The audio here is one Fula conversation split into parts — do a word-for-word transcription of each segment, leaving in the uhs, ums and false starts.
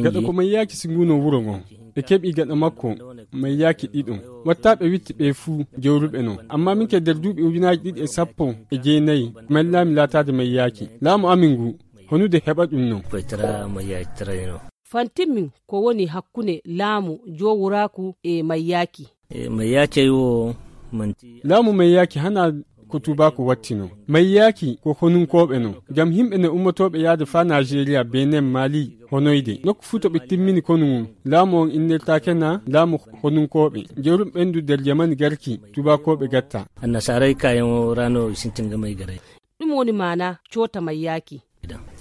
Gaɗa ko mayyaaki singuno wuro ngon, ɓe keɓi gaɗa makko mayyaaki ɗiɗo. Wattaaɓe witti ɓe fuu jawruɓe non. Amma min ke nder duuɓi ujunaaji ɗiɗi e sappo e jeenayi, mellaami laataade mayyaaki. Laamu amin ngu, honude heɓa ɗum non. Fantimmin ko woni hakkunde laamu jowuraaku e mayyaaki. Laamu mayyaaki hana ko tuubaaku wattino. Mayyaaki ko honunkooɓe non. Ngam yimɓe ne ummotooɓe yaade faa Naajeeriya, Benin, Mali, honoyde. Nokku fuu to ɓe timmini konu ngun, laamu on innirtaake na laamu honunkooɓe. Jerum ɓendu nder jamani garki, tuubaakooɓe gatta. Annasaaray kayan o rano sintinga may garay. Ɗum woni maana coota mayyaaki.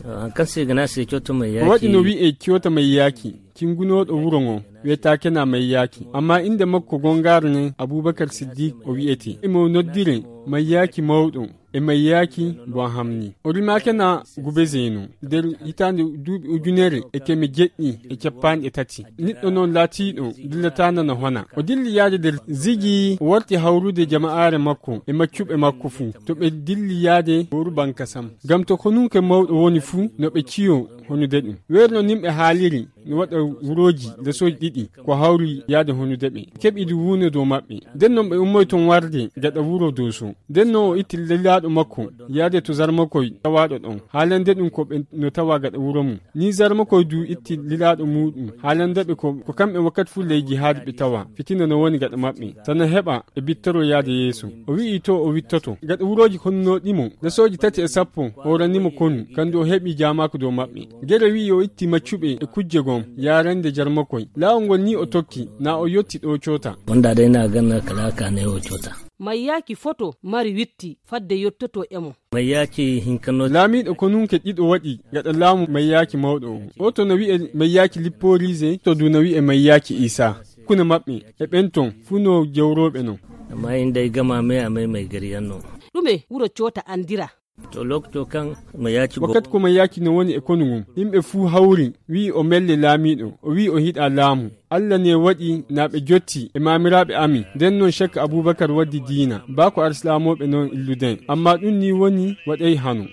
Hankan se gana se coota mayyaaki. Ko waɗi no wi'e coota mayyaaki, cingunooɗo wuro ngon, wiyetaake na mayyaaki. Amma innde makko gongaare nen, Abubakar Siddiq o wi'ete. Imo noddire mayyaaki mawɗo e mayyaaki bo a hamni. O rimaake na Gubezeno nder hitaande duuɓi ujunere e keme jeɗɗi e cappanɗe tati. Niɗɗo non laatiiɗo dillataana no hona. O dilli yaade nder zigi, o warti hawrude jama'aare makko e maccuɓe makko fuu. To ɓe dilli yaade gooru banka sam. Ngam to konunke mawɗo woni fuu, no ɓe ciyo honude ɗum. Weerno nimɓe haaliri no waɗa wurooji lesooji ɗiɗi ko hawri yaade honude ɓe. Keɓi du wuuno dow maɓɓe. Nden non ɓe ummoy ton warde gaɗa wuro Dooso. Nden non o itti lilaaɗo makko yaade to Zarmakoy tawaaɗo ɗon. Haalande ɗum ko ɓe no tawa gaɗa wuro mum. Ni Zarmakoy du itti lilaaɗo muuɗum. Haalande ɓe ko, ko kamɓe wakkati fuu ley jihaadi ɓe tawa. Fitina no woni gaɗa maɓɓe. Sana heɓa ɓe bittoro yaade yeeso. O wi'i to o wittoto. Gaɗa wurooji konnooɗimo. Lesooji tati e sappo, hooranimo konu. Kandu o heɓi jaamaaku dow maɓɓe. Gere wi'i o itti maccuɓe e kujje gom, yaarande Jarmakoy. Laawol ngol ni o tokki, na o yotti ɗo coota. Wonda day na ganna kala ka ne o coota. Mayyaaki foto mari witti fadde yottoto e mo. Mayyaaki hinkano. Laamiiɗo konunke ɗiɗo waɗi gaɗa laamu mayyaaki mawɗo o. O to no wi'e mayyaaki Lipporize, to du no wi'e mayyaaki Isa. Kuna maɓɓe, e ɓen ton, fuu no jawrooɓe non. Amma inda e gama me a may may gari yanno. Ɗume wuro coota andira? To lokto kan mo yaaci go. Wakkati ko mo yaaci no woni e konu ngun, yimɓe fuu hawri, wi'i o melle laamiiɗo, o wi'i o hiɗa laamu. Alla ne waɗi na ɓe jotti e maamiraaɓe amin. Nden non Shek Abubakar waddi diina, baa ko arsilaamooɓe non illuden. Amma ɗum ni woni waɗay hano.